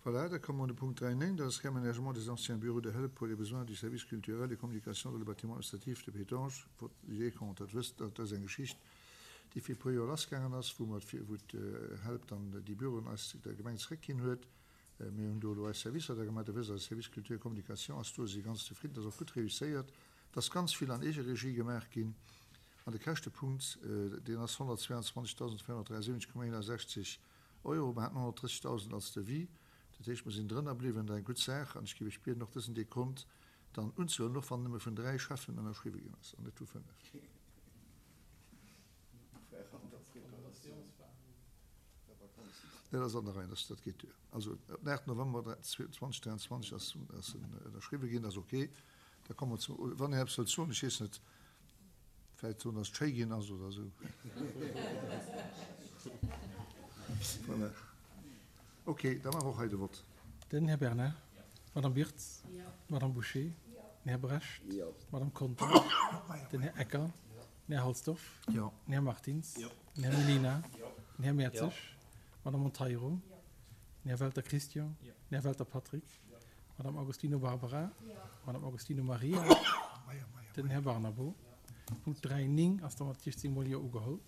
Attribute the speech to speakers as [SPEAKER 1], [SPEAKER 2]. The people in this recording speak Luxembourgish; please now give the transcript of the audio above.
[SPEAKER 1] Voilà, da komme mer un de Punkt 3.9, dat ass Réaménagement des anciens bureaux de Help pour les besoins du service culturel et communication dans le bâtiment administratif de Pétange. Vote du Décompte. Dat wësst Der, dat ass eng Geschicht, déi vir e puer Joer lassgaangen ass, wou mer, wou d'Help dann déi Büroen eis der Gemeng zeréckginn huet. Mir hunn do elo eis Servicer da gemaach. Der wësst, eise Service culture et communication ass do, si ganz zefridden, dat ass och gutt réusséiert. Et ass ganz vill an Eegeregie gemaach ginn. An de Käschtepunkt, deen ass 122.473,61 Euro. Mer haten 130.000 als Devis, dat heescht, mer sinn drënner bliwwen. Dat ass eng gutt Saach an ech géif Iech bieden, och dësen Dekont dann unzehuelen, och wann en nëmme vun dräi Schäffen ënnerschriwwe ginn ass an net vu fënnef. Dat ass an der Rei, dat geet duer. Also op den 8 November 2023 ass en ënnerschriwwe ginn, dat ass ok. Da komme mer zum, wann Här eppes wëllt soen, ech weess net, vläicht soen, datt et schéi ginn ass oder esou. Voilà. Ok, da maache mer och hei de Vott.
[SPEAKER 2] Den Här Bernard, d'Madame Wirtz, d'Madame Bouché, den Här Brecht, d'Madame Conter, den Här Ecker, den Här Halsdorf, den Här Martins, den Här Mellina, den Här Mertzig, d'Madame Monteiro, den Här Welter Christian, den Här Welter Patrick, Madame Agostino Barbara, Madame Agostino Maria, den Här Barnabo. Punkt 3, 9 ass da mat 16 mol Jo ugeholl.